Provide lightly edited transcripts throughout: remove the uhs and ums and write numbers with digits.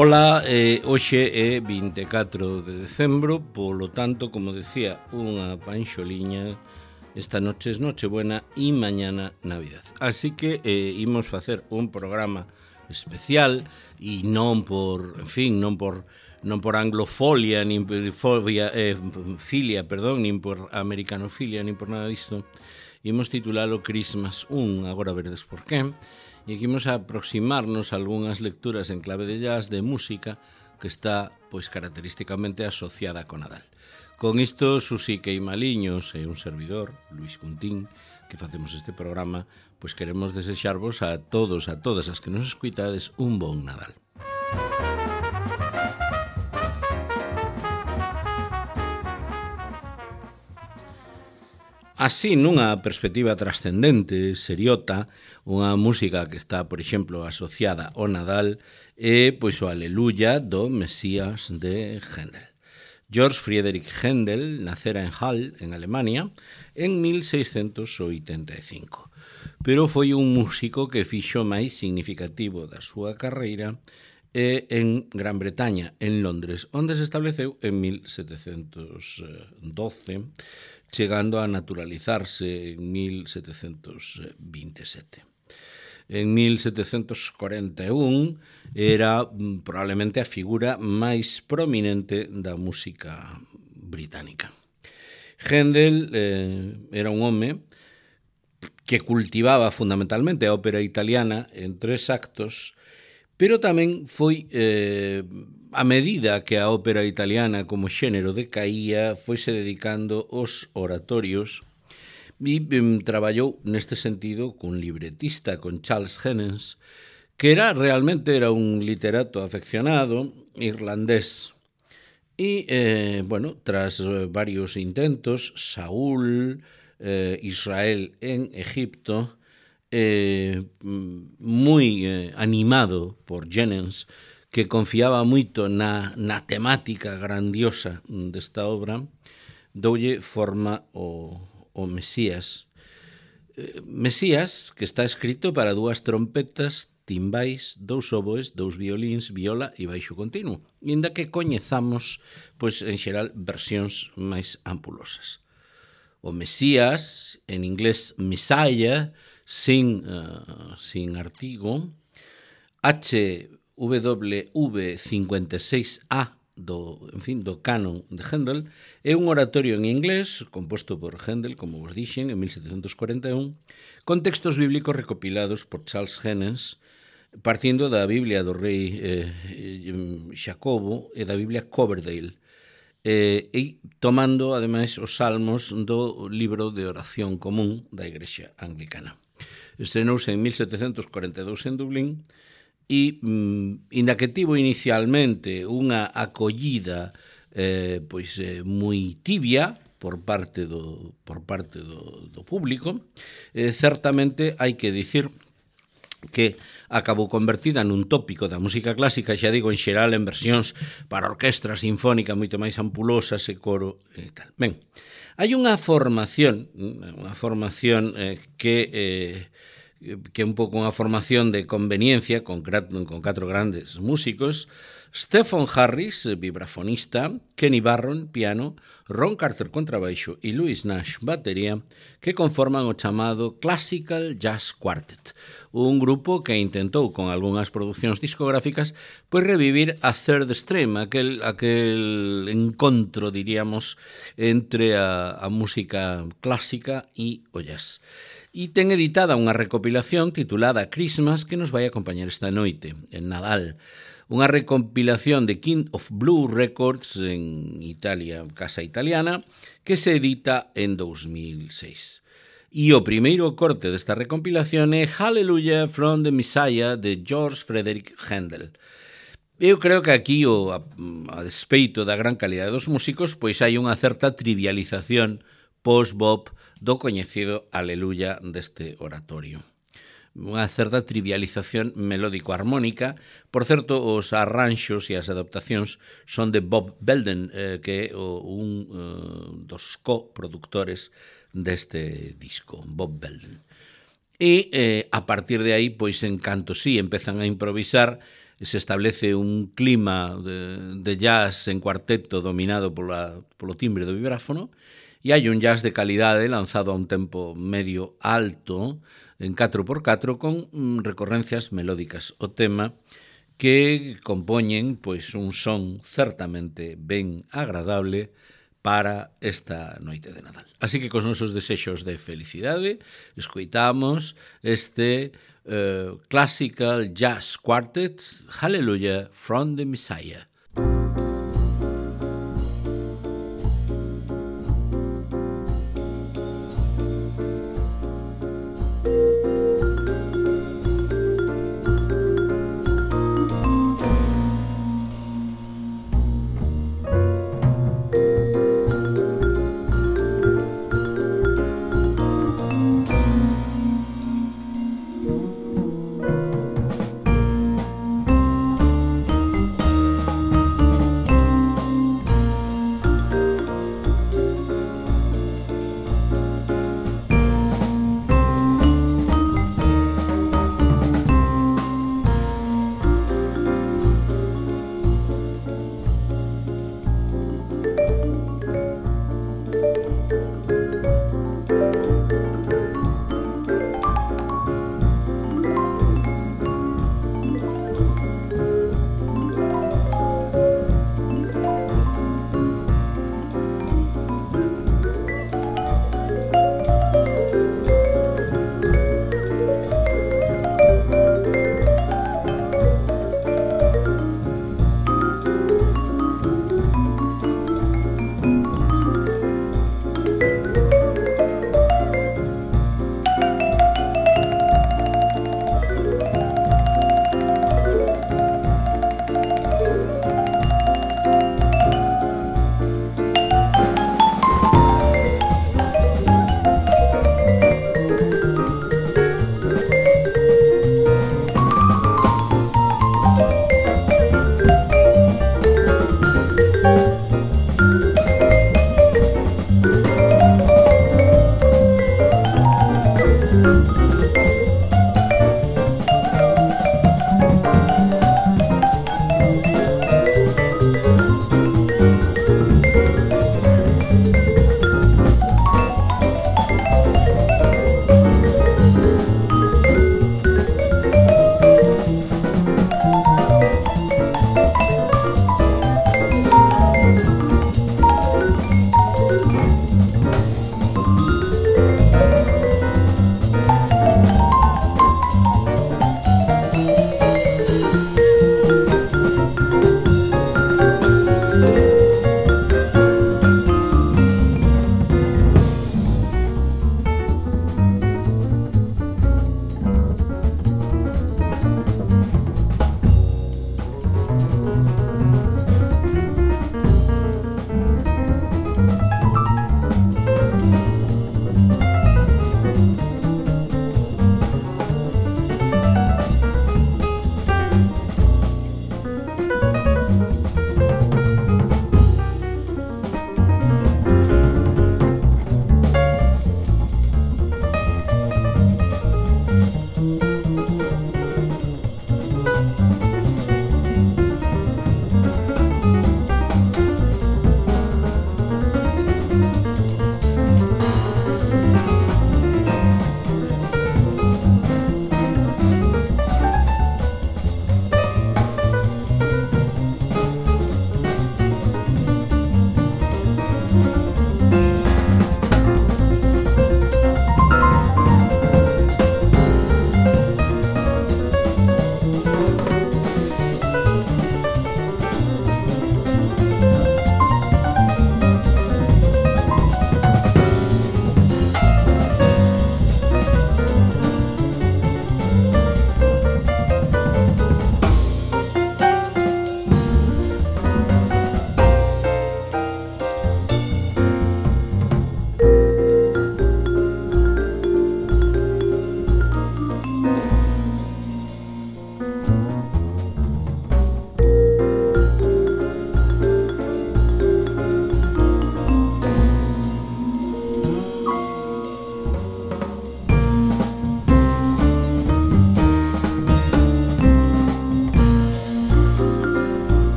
Ola, hoxe é 24 de decembro, polo tanto, como decía, unha panxoliña, esta noche es Nochebuena e mañana Navidad. Así que imos facer un programa especial e non por, en fin, non por anglofolia, nin por filia, perdón, nin por americanofilia, nin por nada disto. Imos titulalo Christmas 1, agora veredes por qué. E aquí imos a aproximarnos a algunhas lecturas en clave de jazz, de música, que está, pois, característicamente asociada con Nadal. Con isto, Susi Queimaliños e un servidor, Luis Cuntín, que facemos este programa, pois queremos desexarvos a todos, a todas as que nos escuitades, un bon Nadal. Así, nunha perspectiva trascendente, seriota, unha música que está, por exemplo, asociada ao Nadal é, pois, o Aleluya do Mesías de Händel. Georg Friedrich Händel nacera en Halle, en Alemania, en 1685. Pero foi un músico que fixo máis significativo da súa carreira en Gran Bretaña, en Londres, onde se estableceu en 1712, chegando a naturalizarse en 1727. En 1741 era probablemente a figura máis prominente da música británica. Händel era un home que cultivaba fundamentalmente a ópera italiana en 3 actos, pero tamén foi, a medida que a ópera italiana como xénero decaía, foise dedicando aos oratorios e traballou neste sentido cun libretista, con Charles Hennens, que realmente era un literato afeccionado irlandés. E, tras varios intentos, Saúl, Israel en Egipto, moi animado por Jennens, que confiaba moito na temática grandiosa desta obra, doulle forma o Mesías. Mesías, que está escrito para 2 trompetas, timbais, 2 oboes, 2 violíns, viola e baixo continuo, inda que coñezamos, pois, en xeral, versións máis ampulosas. O Mesías, en inglés Messiah, sin artigo, HWV56A do canon de Händel, é un oratorio en inglés composto por Händel, como vos dixen, en 1741, con textos bíblicos recopilados por Charles Hennens, partindo da Biblia do rei Xacobo e da Biblia Coverdale, e tomando, ademais, os salmos do libro de oración común da Igrexa Anglicana. Estrenouse en 1742 en Dublín e, inda que tivo inicialmente unha acollida moi tibia por parte do público, certamente hai que dicir que acabou convertida nun tópico da música clásica, xa digo, en xeral en versións para orquestra sinfónica moito máis ampulosas e coro e tal. Ben, hai unha formación que é un pouco unha formación de conveniencia con 4 grandes músicos: Stephen Harris, vibrafonista, Kenny Barron, piano, Ron Carter, contrabaixo e Louis Nash, batería, que conforman o chamado Classical Jazz Quartet, un grupo que intentou con algunhas producións discográficas pois revivir a Third Stream, aquel encontro, diríamos, entre a música clásica e o jazz. E ten editada unha recopilación titulada Christmas que nos vai acompañar esta noite, en Nadal. Unha recompilación de King of Blue Records en Italia, casa italiana, que se edita en 2006. E o primeiro corte desta recompilación é Hallelujah from the Messiah de Georg Friedrich Händel. Eu creo que aquí, a despeito da gran calidade dos músicos, pois hai unha certa trivialización post-bop do coñecido Aleluya deste oratorio. Unha certa trivialización melódico-armónica. Por certo, os arranxos e as adaptacións son de Bob Belden, que é un dos coproductores deste disco, Bob Belden. E a partir de aí, pois, en canto empezan a improvisar, se establece un clima de jazz en cuarteto dominado polo timbre do vibráfono, e hai un jazz de calidade lanzado a un tempo medio alto en 4x4 con recorrencias melódicas. O tema que compoñen pois un son certamente ben agradable para esta noite de Nadal. Así que cos nosos desexos de felicidade escoitamos este classical jazz quartet Hallelujah from the Messiah.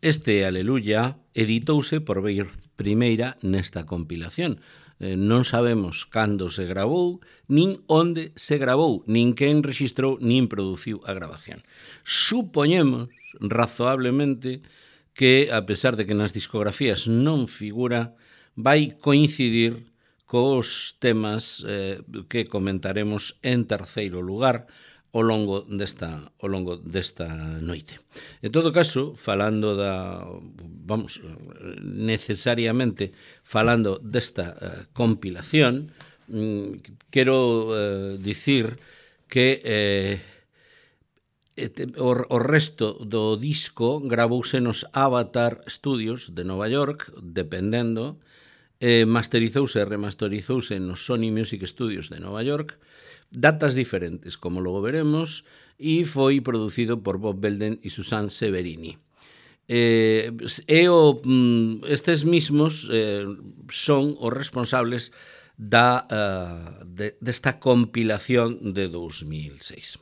Este Aleluya editouse por vez primeira nesta compilación. Non sabemos cando se gravou, nin onde se gravou, nin quen rexistrou, nin produciu a grabación. Supoñemos, razoablemente, que, a pesar de que nas discografías non figura, vai coincidir cos temas que comentaremos en terceiro lugar ao longo desta noite. En todo caso, falando necesariamente falando desta compilación, quero dicir que o resto do disco gravouse nos Avatar Studios de Nova York, dependendo, masterizouse e remasterizouse nos Sony Music Studios de Nova York, datas diferentes, como logo veremos, e foi producido por Bob Belden e Suzanne Severini. Estes mismos son os responsables desta compilación de 2006.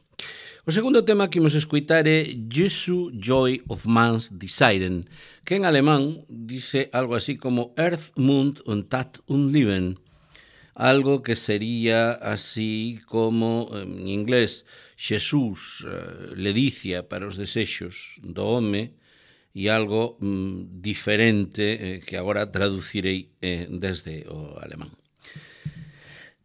O segundo tema que imos escoitar é Jesu Joy of Man's Desiren, que en alemán dice algo así como Earth, Mund und Tat und Leben, algo que sería así como, en inglés, Xesús, ledicia para os desexos do home, e algo diferente que agora traducirei desde o alemán.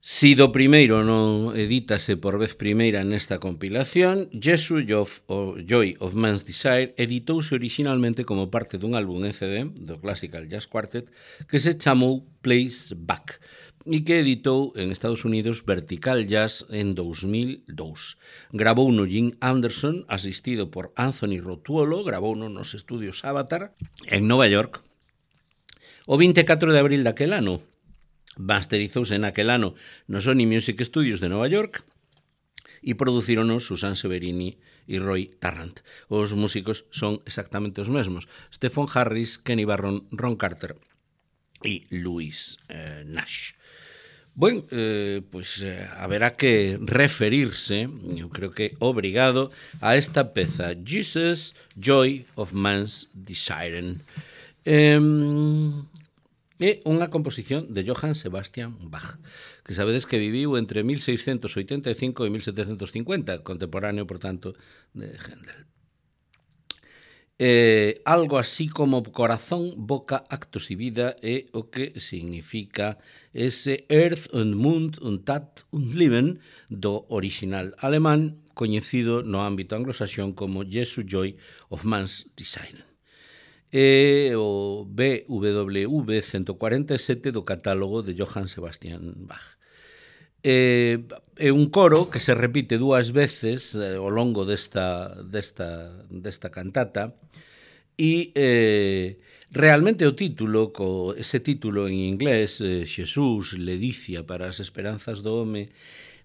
Si do primeiro non edítase por vez primeira nesta compilación, Jesu Joy of Man's Desire editouse originalmente como parte dun álbum en CD do Classical Jazz Quartet que se chamou Place Back e que editou en Estados Unidos Vertical Jazz en 2002. Gravouno Jim Anderson, asistido por Anthony Rotuolo, gravouno nos estudios Avatar en Nova York. O 24 de abril daquel ano, masterizouse naquel ano no Sony Music Studios de Nova York e producirono Suzanne Severini e Roy Tarrant. Os músicos son exactamente os mesmos: Stephen Harris, Kenny Barron, Ron Carter e Louis Nash. Bueno, haberá que referirse, eu creo que obrigado, a esta peza, Jesus, Joy of Man's Desiren. É unha composición de Johann Sebastian Bach, que sabedes que viviu entre 1685 e 1750, contemporáneo, por tanto, de Händel. Algo así como corazón, boca, actos y vida é o que significa ese Earth und Mund und Tat und Leben do original alemán, coñecido no ámbito anglosaxón como Jesu Joy of Man's Desiren. O BWV 147 do catálogo de Johann Sebastian Bach. É un coro que se repite dúas veces ao longo desta cantata e realmente o título, ese título en inglés, Xesús, ledicia para as esperanzas do home,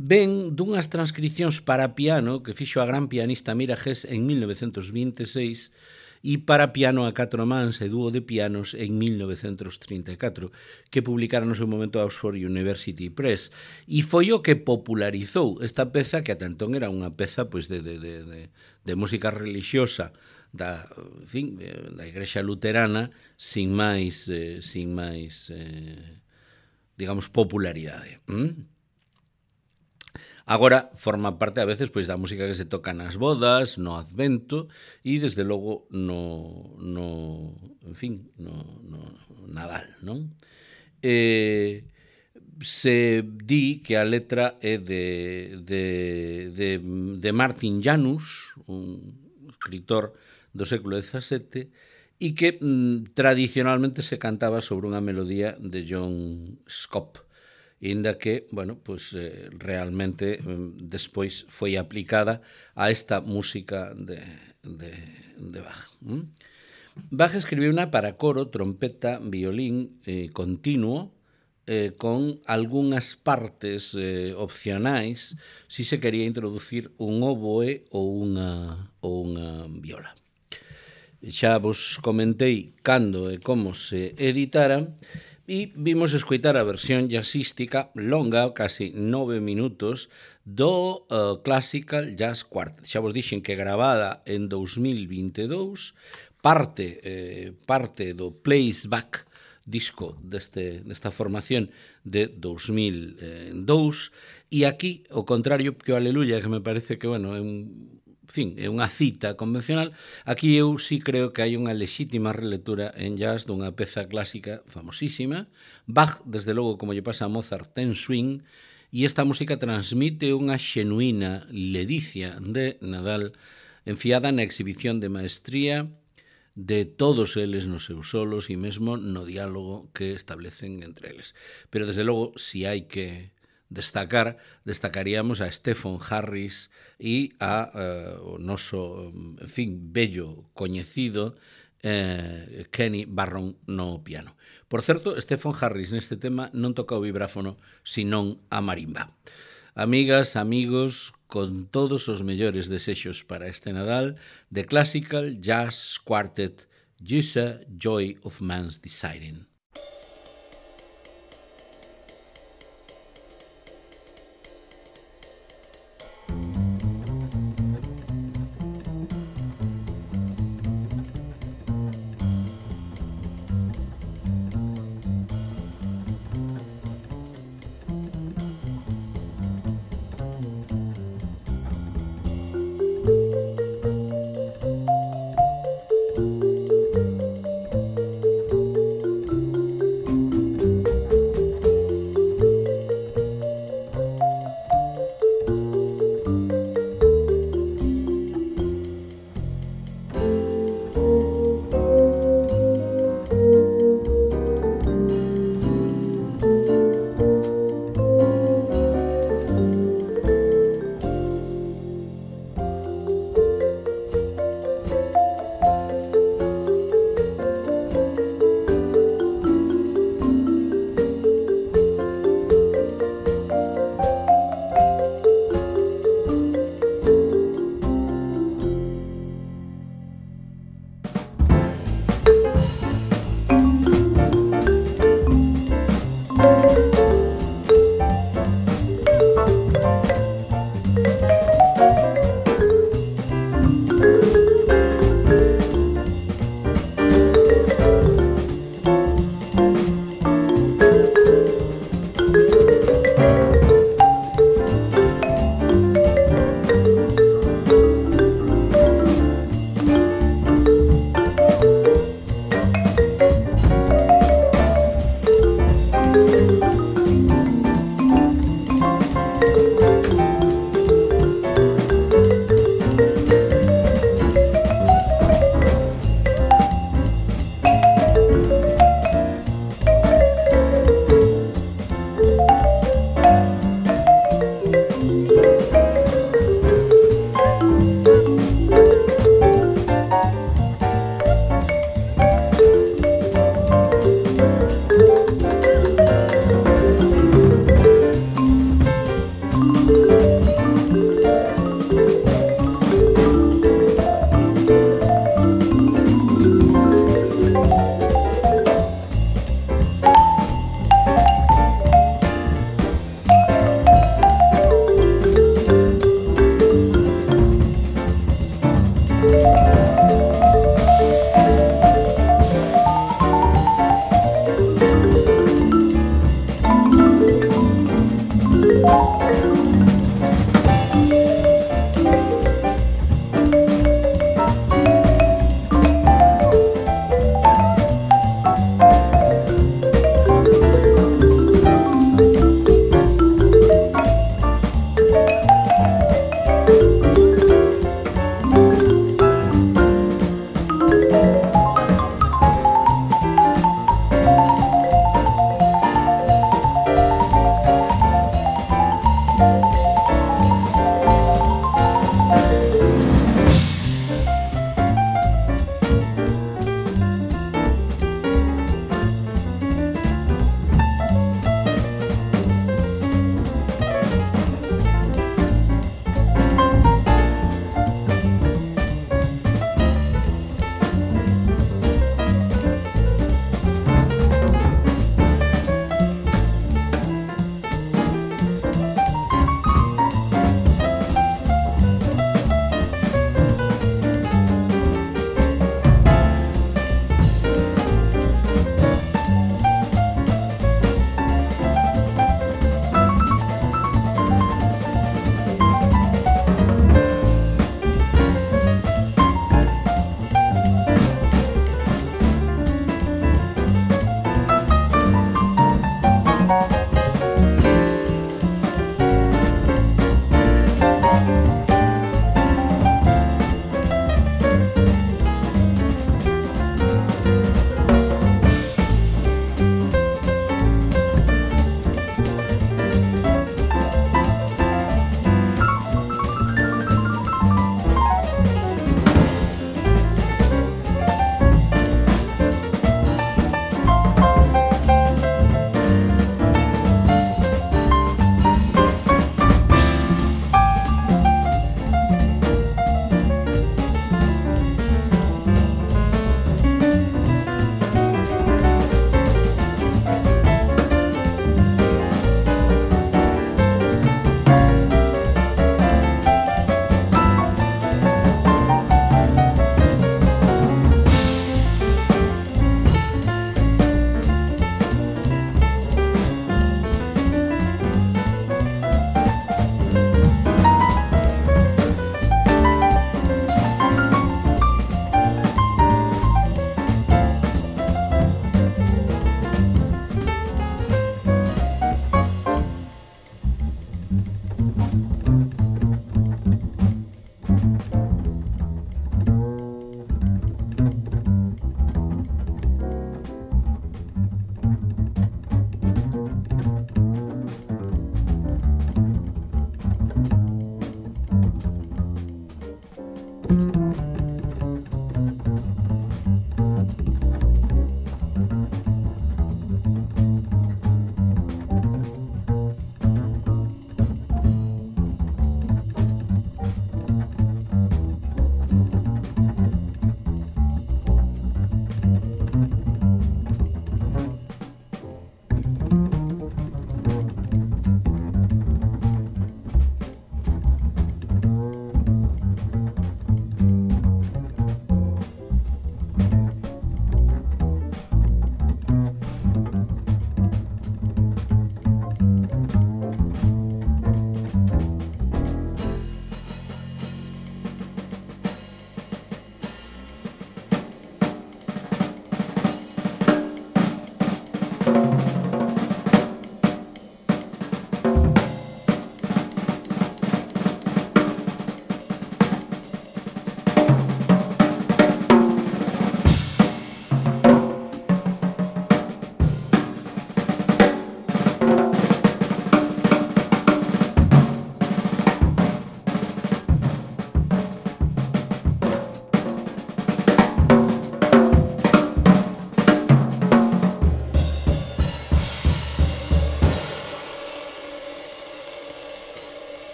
ven dunhas transcripcións para piano que fixo a gran pianista Mira Hess en 1926 e para piano a 4 mans e dúo de pianos en 1934, que publicaron no seu momento a Oxford University Press. E foi o que popularizou esta peza, que ata entón era unha peza pois, de música religiosa da Igrexa Luterana sin máis digamos, popularidade. Agora forma parte a veces pois da música que se toca nas bodas, no Advento e desde logo no Nadal, non? Se di que a letra é de Martin Janus, un escritor do século XVII, e que tradicionalmente se cantaba sobre unha melodía de John Scott, inda que, realmente despois foi aplicada a esta música de Bach. Bach escribiu para coro, trompeta, violín continuo, con algunhas partes opcionais si se quería introducir un oboe ou unha viola. Xa vos comentei cando e como se editara, e vimos escoitar a versión jazzística longa, casi 9 minutos, do Classical Jazz Quartet. Xa vos dixen que gravada en 2022 parte do Place Back disco desta formación de 2002, e aquí, ao contrario que o Aleluya, que me parece que, bueno, é unha cita convencional, aquí eu sí creo que hai unha lexítima relectura en jazz dunha peza clásica famosísima. Bach, desde logo, como lle pasa a Mozart, ten swing, e esta música transmite unha xenuína ledicia de Nadal enfiada na exhibición de maestría de todos eles nos seus solos e mesmo no diálogo que establecen entre eles. Pero, desde logo, si hai que destacaríamos a Stephen Harris e o noso, en fin, bello coñecido Kenny Barron no piano. Por certo, Stephen Harris neste tema non toca o vibráfono, senón a marimba. Amigas, amigos, con todos os mellores desexos para este Nadal, The Classical Jazz Quartet, Just Joy of Man's Desiring.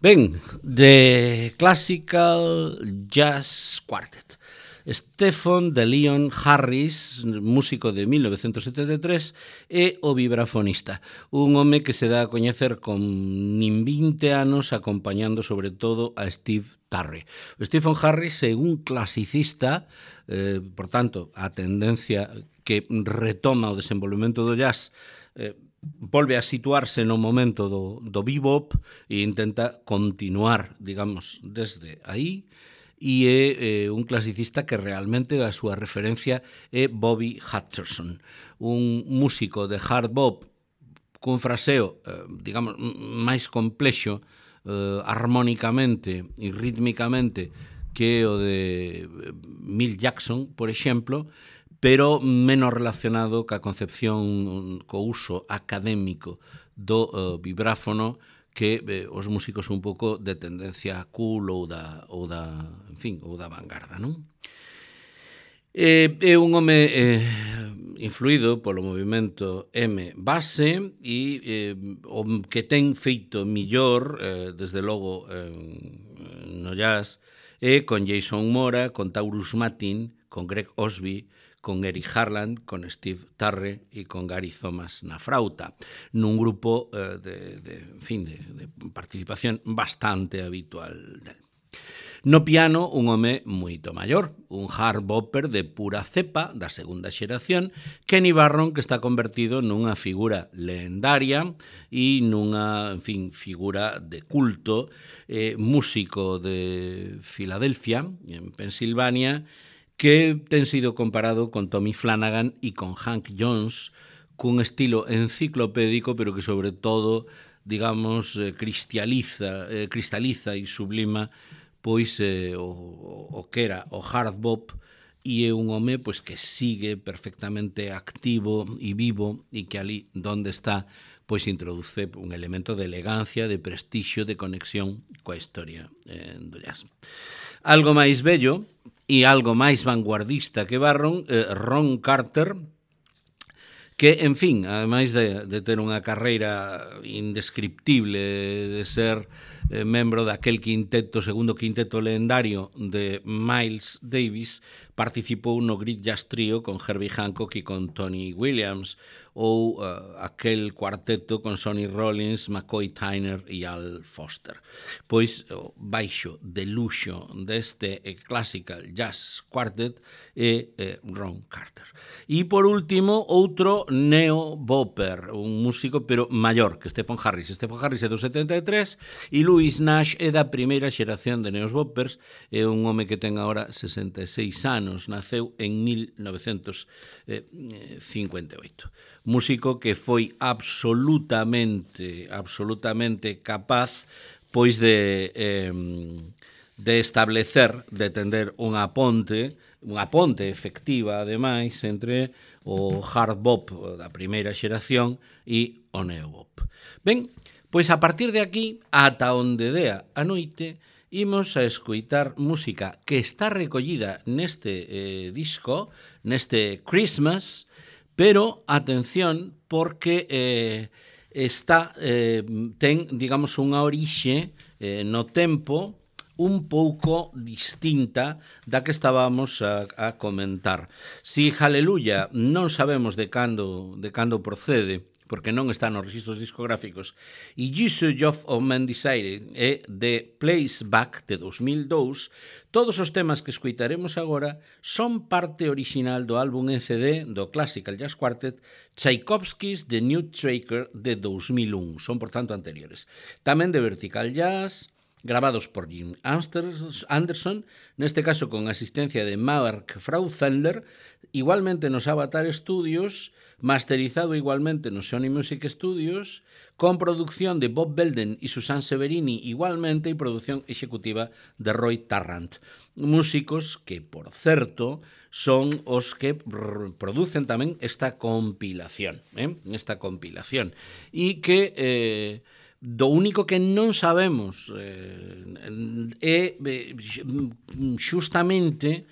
Ben, The Classical Jazz Quartet. Stephen de Leon Harris, músico de 1973, e o vibrafonista, un home que se dá a coñecer con nin 20 anos acompañando sobre todo a Steve Tarre. O Stephen Harris é un clasicista, por tanto, a tendencia que retoma o desenvolvemento do jazz volve a situarse no momento do bebop e intenta continuar, digamos, desde aí, e é un clasicista que realmente a súa referencia é Bobby Hutcherson, un músico de hard bop cun fraseo, digamos, máis complexo armónicamente e rítmicamente que o de Milt Jackson, por exemplo, pero menos relacionado ca concepción, co uso académico do vibráfono que os músicos un pouco de tendencia cool ou da vanguarda, non? É un home influído polo movimento M base e o que ten feito millor, desde logo no jazz, é con Jason Mora, con Taurus Matin, con Greg Osby, con Eric Harland, con Steve Tarre e con Gary Thomas na frauta, nun grupo de participación bastante habitual del. No piano, un home moito maior, un hard bopper de pura cepa da segunda xeración, Kenny Barron, que está convertido nunha figura legendaria e nunha, figura de culto, músico de Filadelfia, en Pensilvania, que ten sido comparado con Tommy Flanagan e con Hank Jones, cun estilo enciclopédico, pero que sobre todo, digamos, cristaliza e sublima pois o que era o hard bop, e é un home pois que sigue perfectamente activo e vivo e que ali donde está pois introduce un elemento de elegancia, de prestixio, de conexión coa historia do jazz. Algo máis bello e algo máis vanguardista que Barron, Ron Carter, que, en fin, ademais de ter unha carreira indescriptible, de ser membro daquel segundo quinteto legendario de Miles Davis, participou no Great Jazz Trio con Herbie Hancock e con Tony Williams, ou aquel cuarteto con Sonny Rollins, McCoy Tyner e Al Foster. Pois, baixo de luxo deste Classical Jazz Quartet é Ron Carter. E, por último, outro neo-bopper, un músico, pero maior que Stephen Harris. Stephen Harris é do 73 e Louis Nash é da primeira xeración de neos-boppers, é un home que ten agora 66 anos, naceu en 1958. Músico que foi absolutamente capaz pois de establecer, de tender unha ponte efectiva, ademais, entre o hard bop da primeira xeración e o neobop. Ben, pois a partir de aquí, ata onde dea a noite, imos a escoitar música que está recollida neste disco, neste Christmas, pero, atención, porque ten, digamos, unha orixe no tempo un pouco distinta da que estábamos a comentar. Si Hallelujah non sabemos de cando procede, porque non está nos registros discográficos, e Jesus of Man Desire é de Place Back de 2002, todos os temas que escoitaremos agora son parte orixinal do álbum en CD do Classical Jazz Quartet Tchaikovsky's The New Tracker de 2001, son por tanto anteriores. Tamén de Vertical Jazz, grabados por Jim Anderson, neste caso con asistencia de Mark Fraufender, igualmente nos Avatar Studios, masterizado igualmente no Sony Music Studios, con producción de Bob Belden e Susan Severini igualmente e producción executiva de Roy Tarrant. Músicos que, por certo, son os que producen tamén esta compilación, e que do único que non sabemos é xustamente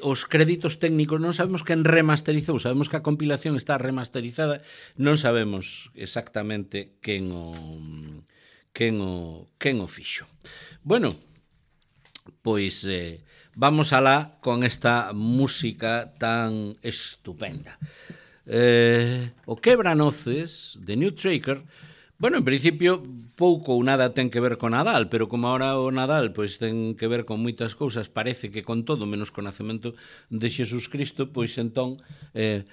os créditos técnicos. Non sabemos quen remasterizou, sabemos que a compilación está remasterizada, non sabemos exactamente quen quen o fixo. Bueno, pois vamos alá con esta música tan estupenda. O Quebranoces de New Tracker, bueno, en principio pouco ou nada ten que ver con Nadal, pero como ahora o Nadal pois ten que ver con moitas cousas, parece que con todo menos co nacemento de Xesús Cristo, pois entón é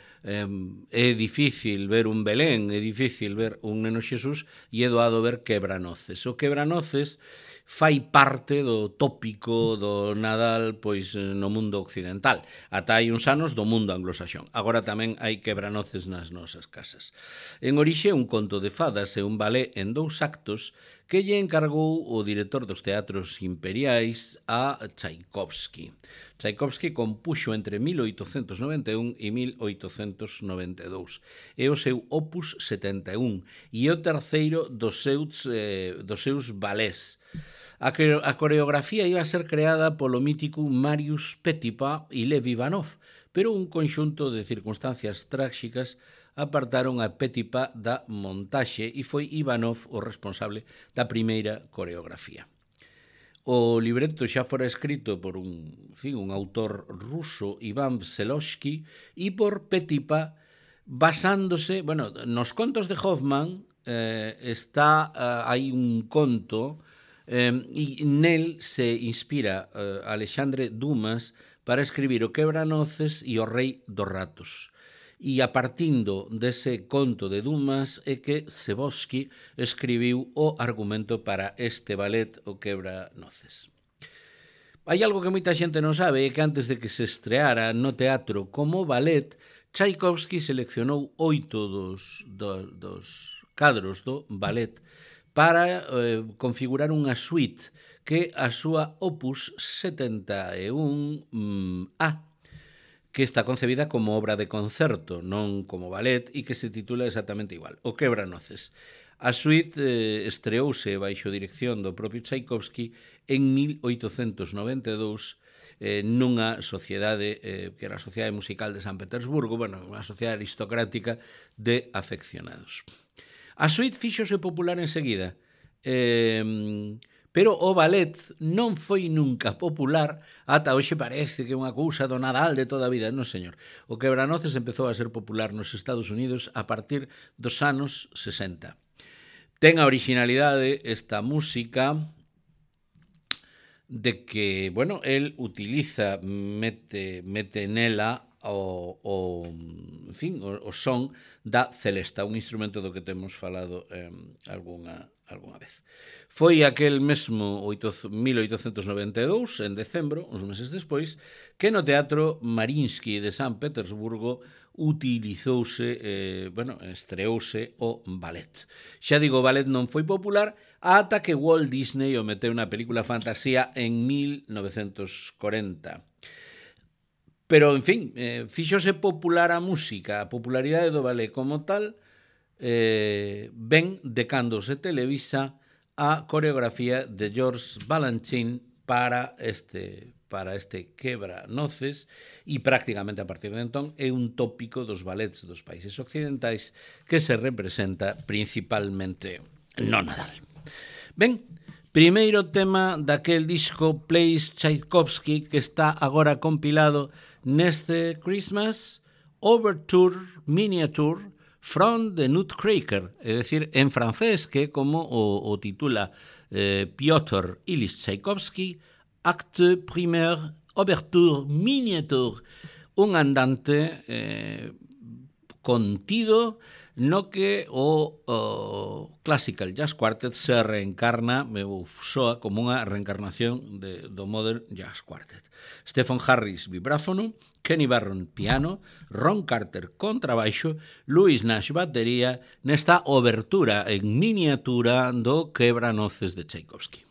difícil ver un Belén, é difícil ver un neno Xesús e é doado ver Quebranoces. O Quebranoces fai parte do tópico do Nadal pois no mundo occidental. Ata hai uns anos do mundo anglosaxón. Agora tamén hai quebranoces nas nosas casas. En orixe un conto de fadas e un ballet en 2 actos que lle encargou o director dos teatros imperiais a Tchaikovsky. Tchaikovsky compuxo entre 1891 e 1892. É o seu opus 71 e é o terceiro dos seus ballets. A coreografía iba a ser creada polo mítico Marius Petipa e Lev Ivanov, pero un conxunto de circunstancias tráxicas apartaron a Petipa da montaxe e foi Ivanov o responsable da primeira coreografía. O libreto xa fora escrito por un autor ruso, Ivan Vselovsky, e por Petipa, basándose, nos contos de Hoffmann hai un conto e nel se inspira Alexandre Dumas para escribir o Quebranoces e o Rei dos Ratos. E a partindo dese conto de Dumas é que Sebosky escribiu o argumento para este ballet, o Quebranoces. Hai algo que moita xente non sabe, é que antes de que se estreara no teatro como ballet, Tchaikovsky seleccionou 8 dos cadros do ballet para configurar unha suite que a súa opus 71A, que está concebida como obra de concerto, non como ballet, e que se titula exactamente igual, o Quebranoces. A suite estreouse baixo dirección do propio Tchaikovsky en 1892 nunha sociedade que era a Sociedade Musical de San Petersburgo, unha sociedade aristocrática de afeccionados. A suite fíxose popular enseguida, pero o ballet non foi nunca popular, ata hoxe parece que é unha cousa do Nadal de toda a vida. Non, señor. O Quebranoces empezou a ser popular nos Estados Unidos a partir dos anos 60. Ten a originalidade esta música de que, el utiliza, mete nela o son da celesta, un instrumento do que temos falado algunha vez. Foi aquel mesmo 1892, en decembro, uns meses despois, que no Teatro Mariinsky de San Petersburgo estreouse o ballet. Xa digo, o ballet non foi popular ata que Walt Disney o meteu na película Fantasía en 1940. Pero, fíxose popular a música, a popularidade do ballet como tal, ven de cando se televisa a coreografía de George Balanchine para este Quebranoces e prácticamente a partir de entón é un tópico dos ballets dos países occidentais que se representa principalmente no Nadal. Ben, primeiro tema daquel disco Plays Tchaikovsky que está agora compilado neste Christmas Overture Miniature from the Nutcracker, é dicir, en francés, que como o titula Piotr Ilyich Tchaikovsky, Acte Primaire Overture Miniature, un andante contido no que o Classical Jazz Quartet se reencarna, soa como unha reencarnación do Modern Jazz Quartet. Stephen Harris, vibráfono, Kenny Barron, piano, Ron Carter, contrabaixo, Louis Nash, batería, nesta obertura en miniatura do Quebranoces de Tchaikovsky.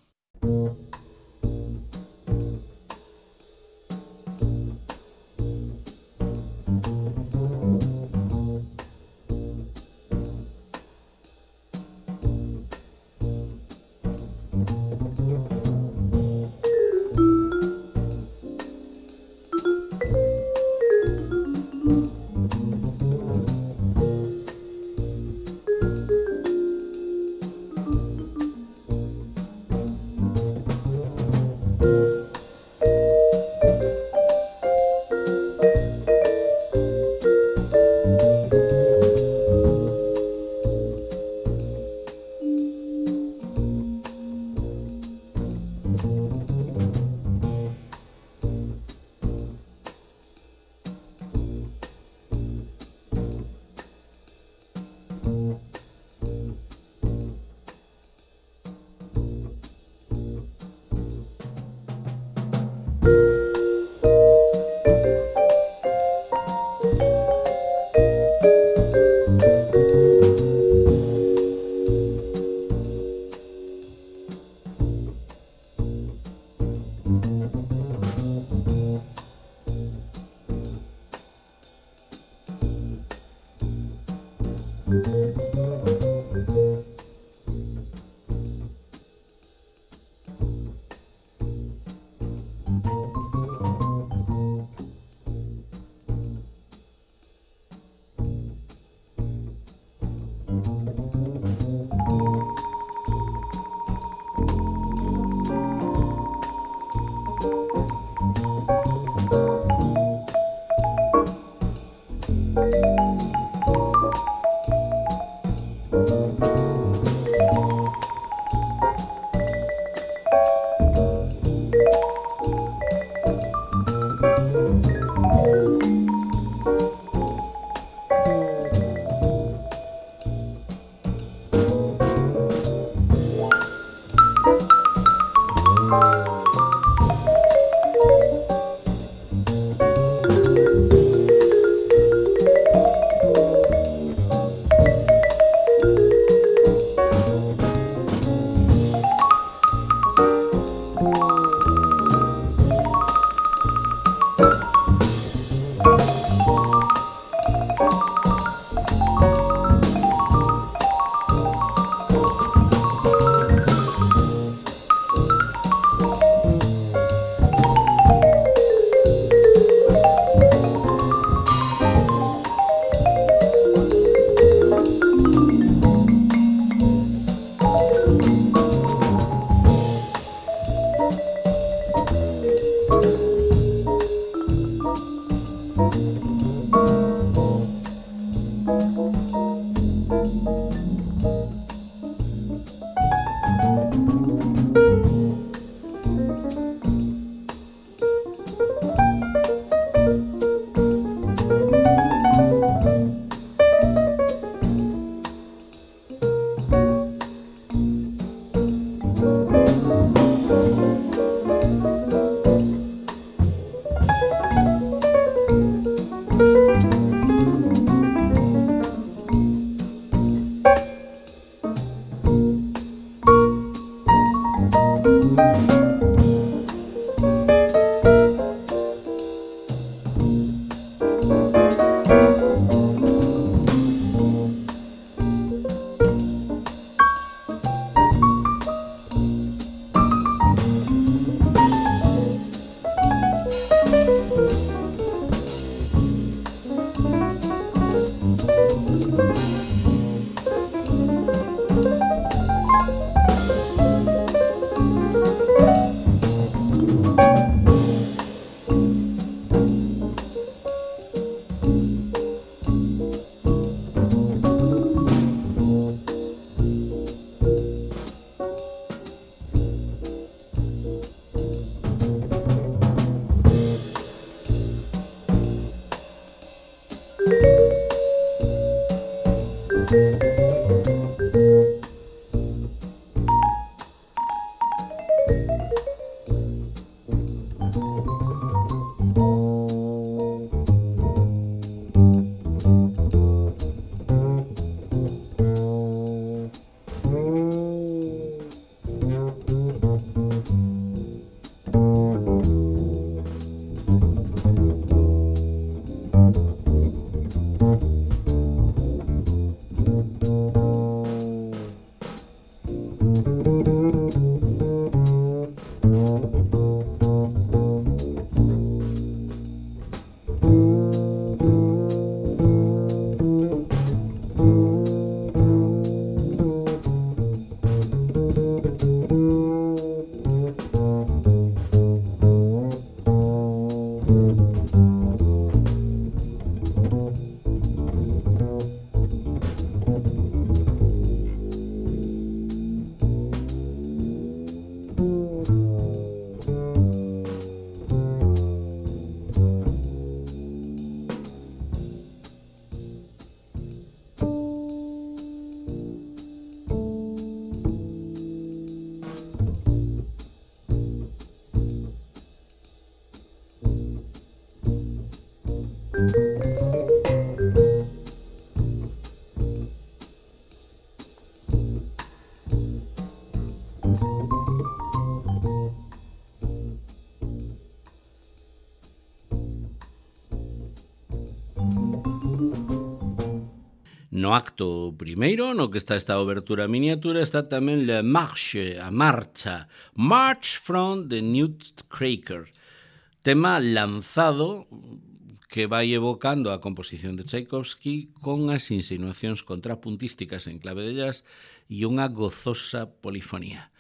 No acto primeiro, no que está esta obertura miniatura, está tamén La Marche, a marcha, March from the Nutcracker, tema lanzado que vai evocando a composición de Tchaikovsky con as insinuacións contrapuntísticas en clave de jazz e unha gozosa polifonía.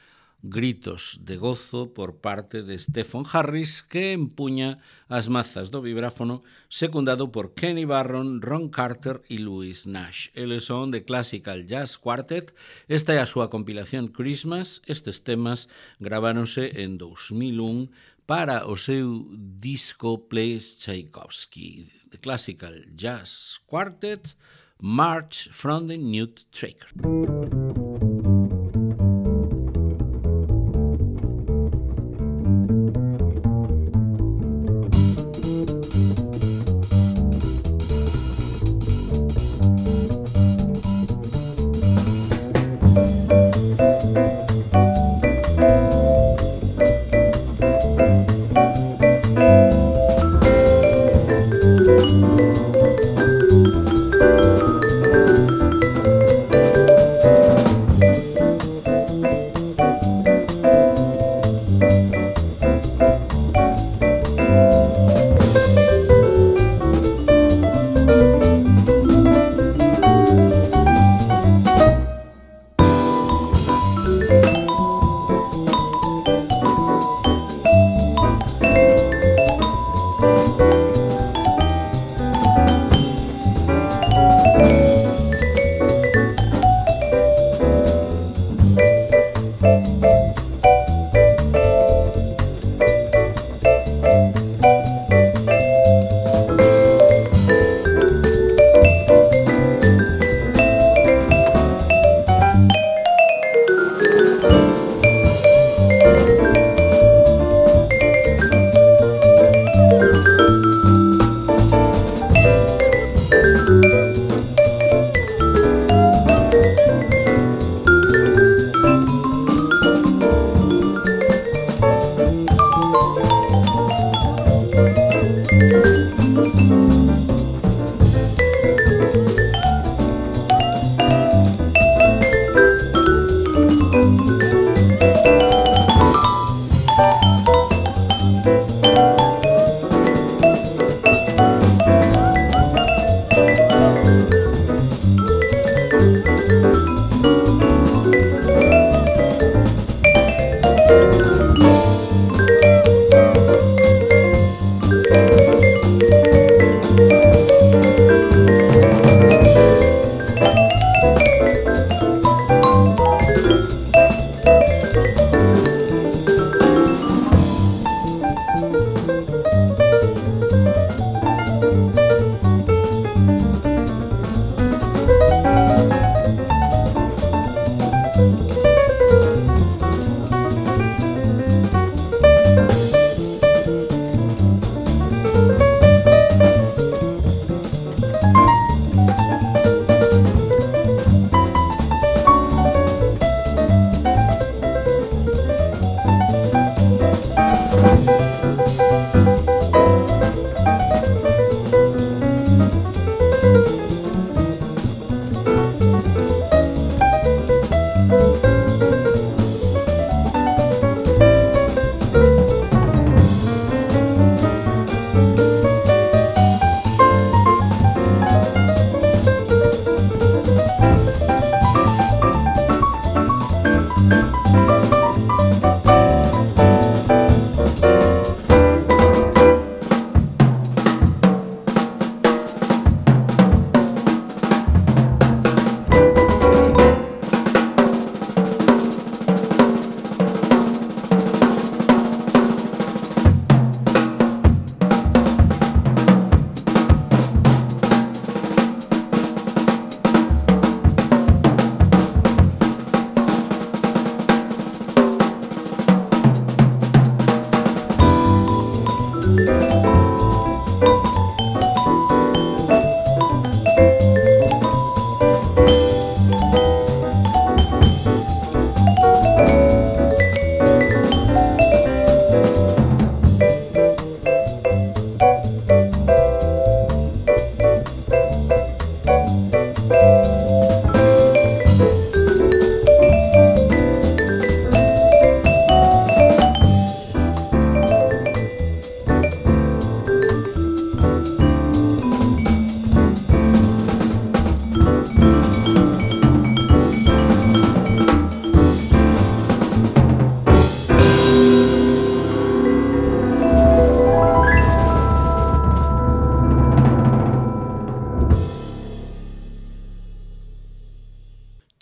Gritos de gozo por parte de Stephen Harris, que empuña as mazas do vibráfono, secundado por Kenny Barron, Ron Carter e Louis Nash. Eles son de Classical Jazz Quartet. Esta é a súa compilación Christmas. Estes temas graváronse en 2001 para o seu disco Plays Tchaikovsky. The Classical Jazz Quartet, March from the Nutcracker.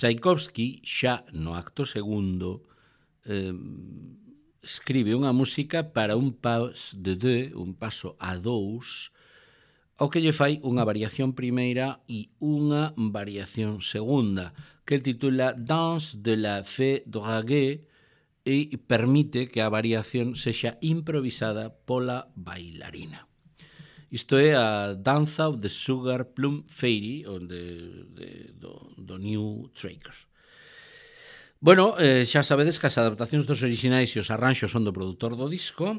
Tchaikovsky, xa no acto segundo, escribe unha música para un pas de deux, un paso a dous, ao que lle fai unha variación primeira e unha variación segunda, que el titula Danse de la Fée Draguée, e permite que a variación sexa improvisada pola bailarina. Isto é a Danza of the Sugar Plum Fairy, do New Tracker. Bueno, xa sabedes que as adaptacións dos orixinais e os arranxos son do produtor do disco,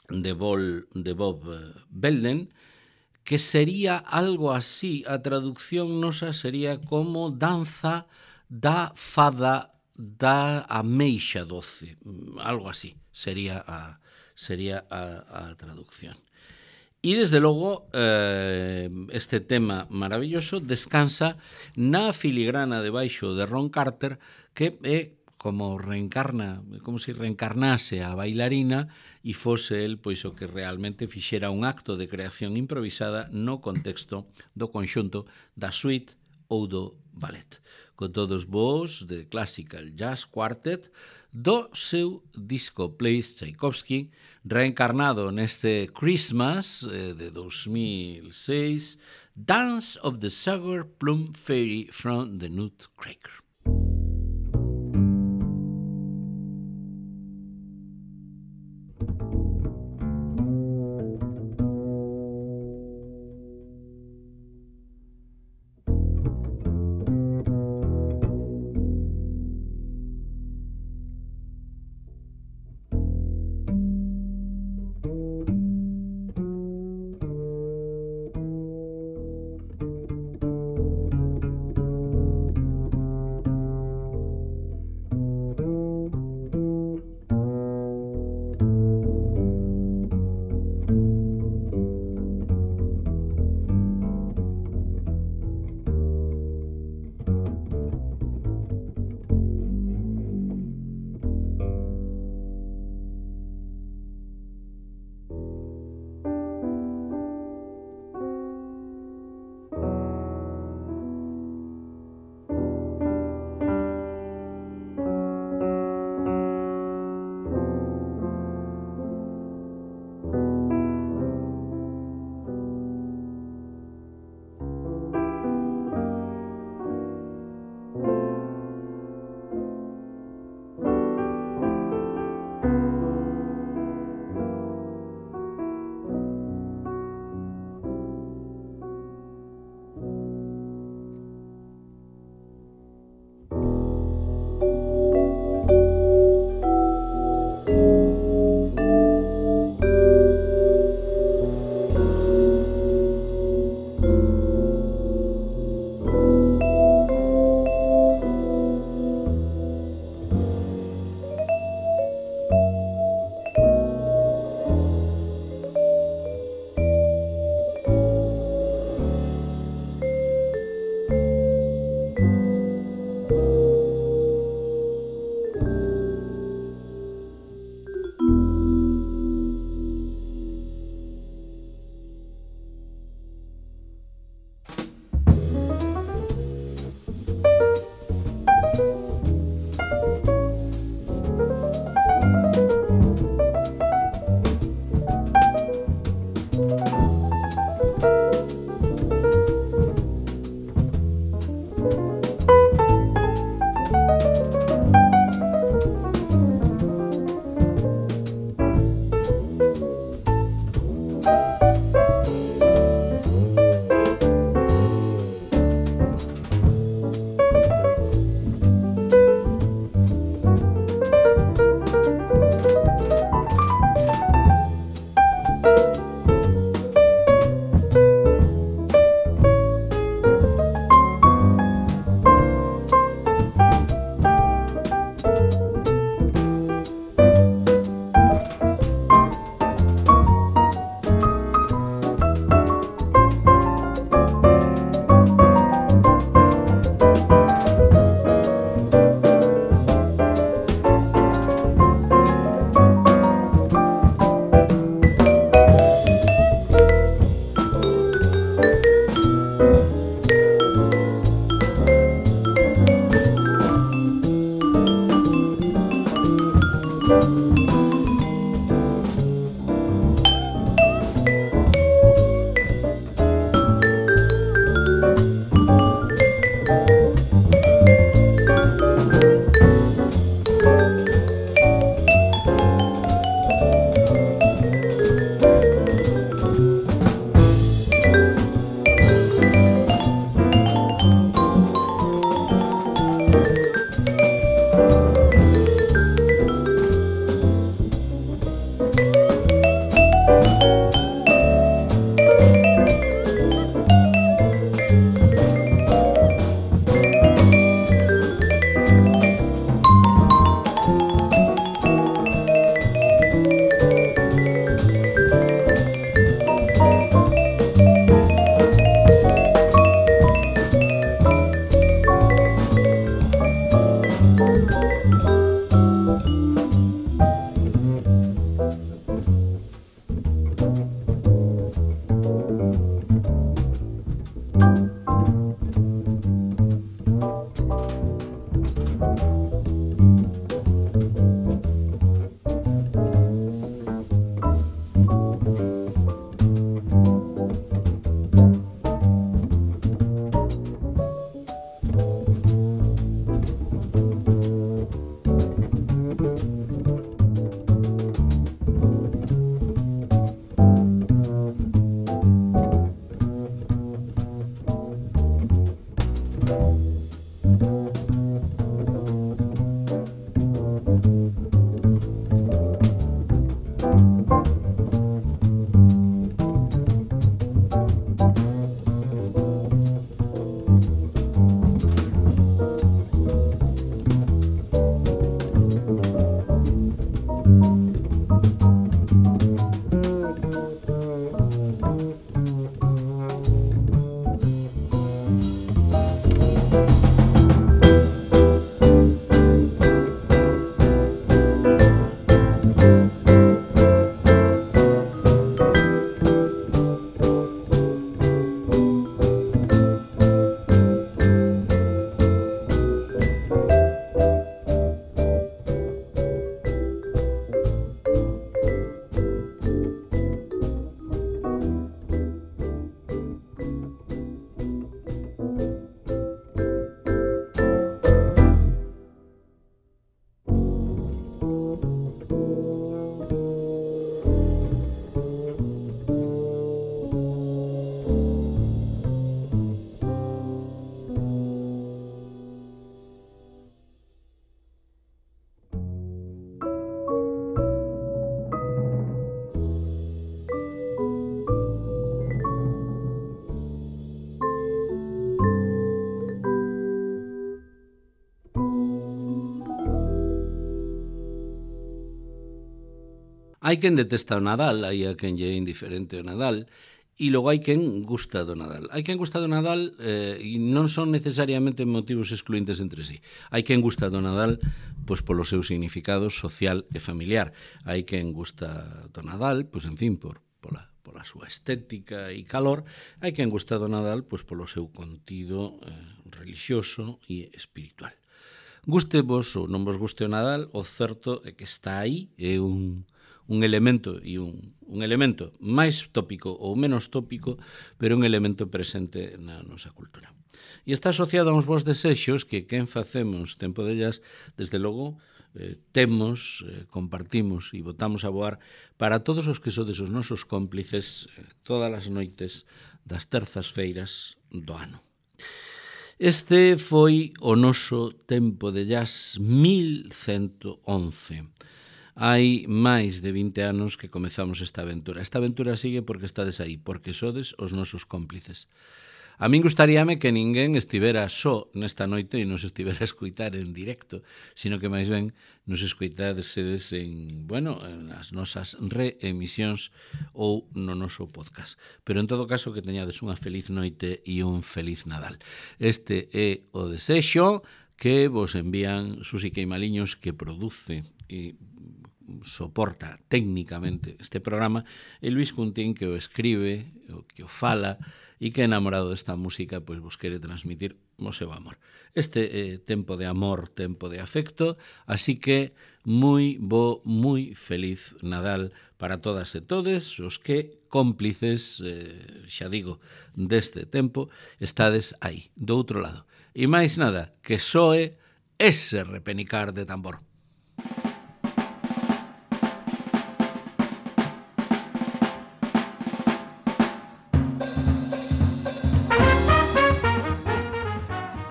de Bob Belden, que sería algo así, a traducción nosa sería como danza da fada da ameixa doce, algo así sería a traducción. E desde logo este tema maravilloso descansa na filigrana debaixo de Ron Carter, que é como se reencarnase a bailarina e fose el pois o que realmente fixera un acto de creación improvisada no contexto do conxunto da suite ou do ballet. Con todos vos de Classical Jazz Quartet do seu disco Plays Tchaikovsky, reencarnado neste Christmas de 2006, Dance of the Sugar Plum Fairy from the Nutcracker. Hai quen detesta o Nadal, hai a quen lle é indiferente o Nadal, e logo hai quen gusta do Nadal. Hai quen gusta do Nadal e non son necesariamente motivos excluíntes entre sí. Hai quen gusta do Nadal pois polo seu significado social e familiar. Hai quen gusta do Nadal, pois en fin, pola súa estética e calor. Hai quen gusta do Nadal pois polo seu contido relixioso e espiritual. Guste vos ou non vos guste o Nadal, o certo é que está aí, é un elemento e un elemento máis tópico ou menos tópico, pero un elemento presente na nosa cultura. E está asociado a uns bons desexos que quen facemos tempo dellas, desde logo, temos, compartimos e botamos a voar para todos os que sodes os nosos cómplices todas as noites das terzas feiras do ano. Este foi o noso tempo de jazz 1111. Hai máis de 20 anos que comezamos esta aventura. Esta aventura sigue porque estades aí, porque sodes os nosos cómplices. A min gustaríame que ninguén estivera só nesta noite e nos estivera a escoitar en directo, sino que máis ben nos escoitasedes en as nosas reemisións ou no noso podcast. Pero en todo caso que teñades unha feliz noite e un feliz Nadal. Este é o desexo que vos envían Susi Queimaliños, que produce e soporta técnicamente este programa, e Luis Cuntín, que o escribe, que o fala, e que enamorado desta música pois vos quere transmitir o seu amor. Este tempo de amor, tempo de afecto, así que moi feliz Nadal para todas e todes os que cómplices, xa digo, deste tempo, estades aí, do outro lado. E máis nada, que soe ese repenicar de tambor.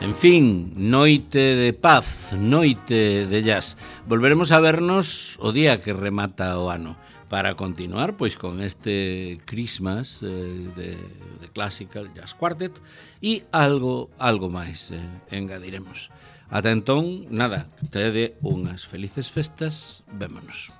En fin, noite de paz, noite de jazz. Volveremos a vernos o día que remata o ano para continuar pois con este Christmas de Classical Jazz Quartet e algo máis engadiremos. Ata entón, nada, tede unhas felices festas, vémonos.